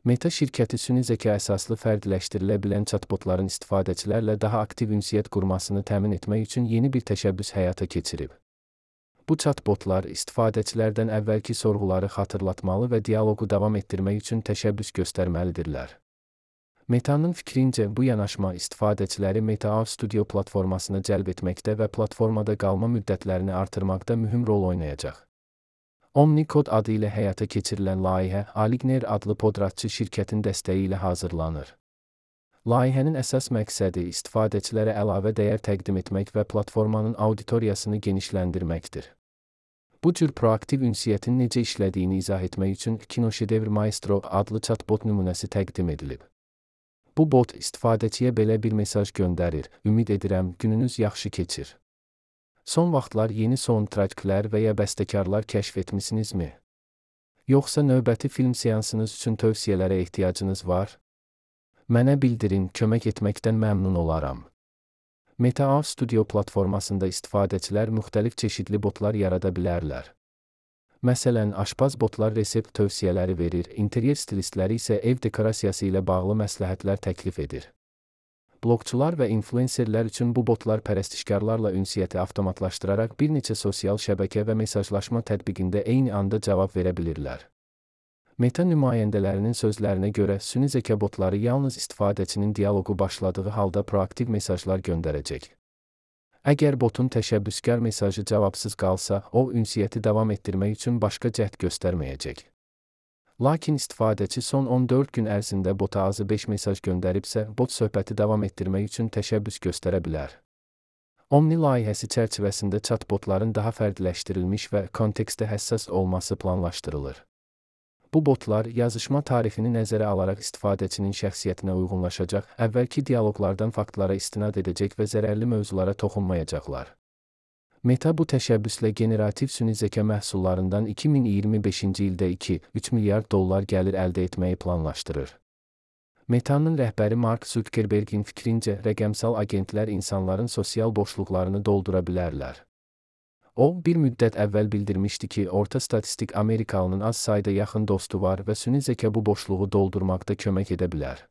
Meta şirkəti süni zəka əsaslı fərdiləşdirilə bilən chatbotların istifadəçilərlə daha aktiv ünsiyyət qurmasını təmin etmək üçün yeni bir təşəbbüs həyata keçirib. Bu chatbotlar istifadəçilərdən əvvəlki sorğuları xatırlatmalı və dialoqu davam etdirmək üçün təşəbbüs göstərməlidirlər. Meta'nın fikrincə bu yanaşma istifadəçiləri Meta Studio platformasına cəlb etməkdə və platformada qalma müddətlərini artırmaqda mühüm rol oynayacaq. OmniCode adı ilə həyata keçirilən layihə Aligner adlı podratçı şirkətin dəstəyi ilə hazırlanır. Layihənin əsas məqsədi istifadəçilərə əlavə dəyər təqdim etmək və platformanın auditoriyasını genişləndirməkdir. Bu cür proaktiv ünsiyyətin necə işlədiyini izah etmək üçün Kinoşedevr Maestro adlı chatbot nümunəsi təqdim edilib. Bu bot istifadəçiyə belə bir mesaj göndərir: "Ümid edirəm, gününüz yaxşı keçir. Son vaxtlar yeni soundtracklər və ya bəstəkarlar kəşf etmisinizmi? Yoxsa növbəti film seansınız üçün tövsiyələrə ehtiyacınız var? Mənə bildirin, kömək etməkdən məmnun olaram." Meta Studio platformasında istifadəçilər müxtəlif çeşidli botlar yarada bilərlər. Məsələn, aşpaz botlar resept tövsiyələri verir, interyer stilistləri isə ev dekorasiyası ilə bağlı məsləhətlər təklif edir. Bloqçular və influencerlər üçün bu botlar pərəstişkarlarla ünsiyyəti avtomatlaşdıraraq bir neçə sosial şəbəkə və mesajlaşma tətbiqində eyni anda cavab verə bilirlər. Meta nümayəndələrinin sözlərinə görə süni zəka botları yalnız istifadəçinin dialoqu başladığı halda proaktiv mesajlar göndərəcək. Əgər botun təşəbbüskar mesajı cavabsız qalsa, o ünsiyyəti davam etdirmək üçün başqa cəhd göstərməyəcək. Lakin istifadəçi son 14 gün ərzində bota azı 5 mesaj göndəribsə, bot söhbəti davam etdirmək üçün təşəbbüs göstərə bilər. Omni layihəsi çərçivəsində chatbotların daha fərdiləşdirilmiş və kontekstə həssas olması planlaşdırılır. Bu botlar yazışma tarixini nəzərə alaraq istifadəçinin şəxsiyyətinə uyğunlaşacaq, əvvəlki dialoqlardan faktlara istinad edəcək və zərərli mövzulara toxunmayacaqlar. Meta bu təşəbbüslə generativ süni zəka məhsullarından 2025-ci ildə $2-3 milyard gəlir əldə etməyi planlaşdırır. Meta'nın rəhbəri Mark Zuckerberg'in fikrincə, rəqəmsal agentlər insanların sosial boşluqlarını doldura bilərlər. O, bir müddət əvvəl bildirmişdi ki, orta statistik Amerikalının az sayda yaxın dostu var və süni zəka bu boşluğu doldurmaqda kömək edə bilər.